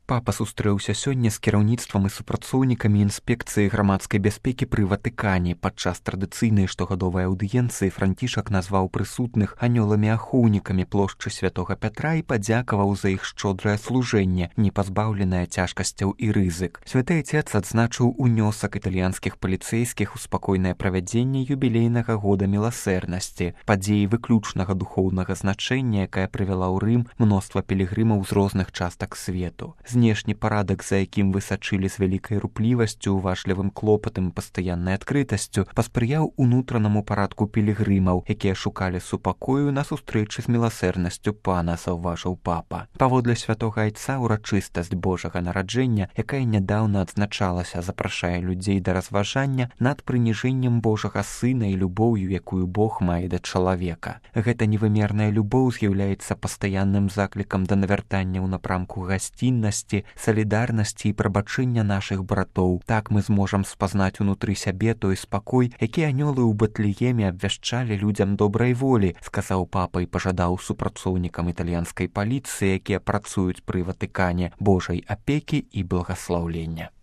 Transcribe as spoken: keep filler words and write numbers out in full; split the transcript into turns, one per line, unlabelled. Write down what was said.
Папа сустрэўся сёння з кіраўніцтвам і супрацоўнікамі інспекцыі грамадскай бяспекі пры Ватыкане. Падчас традыцыйнай штогадовай аўдыенцыі Францішак назваў прысутных анёламі-ахоўнікамі плошчы святога Пятра і падзякаваў за іх шчодрае служэнне, не пазбаўленае цяжкасцяў і рызык. Святы Отец адзначыў унёсак італьянскіх паліцэйскіх у спакойнае правядзенне юбілейнага года міласэрнасці, падзеі выключнага духоўнага значэння, якая прывяла ў Рым мноства пілігрымаў з розных частак свету. Знешні парадак, за якім вы сачылі з вялікай руплівасцю, уважлівым клопатам і пастаяннай адкрытасцю, паспрыяў унутранаму парадку пілігрымаў, якія шукалі супакою на сустрэчы з міласэрнасцю пана, заўважыў папа. Паводле святога Айца урачыстасць Божага нараджэння, якая нядаўна адзначалася, запрашае людзей да разважання над прыніжэннем Божага Сына і любоўю, якую Бог мае да чалавека. Гэта невымерная любоў з'яўляецца пастаянным заклікам да навяртання ў напрамку гасціннасці, салідарнасці і прабачэння нашых братоў. Так мы зможам спазнаць унутры сябе той спакой, які анёлы ў Бэтлееме абвяшчалі людзям добрай волі, сказаў папа і пажадаў супрацоўнікам італьянскай паліцыі, якія працуюць пры Ватыкане, Божай апекі і благаслаўлення.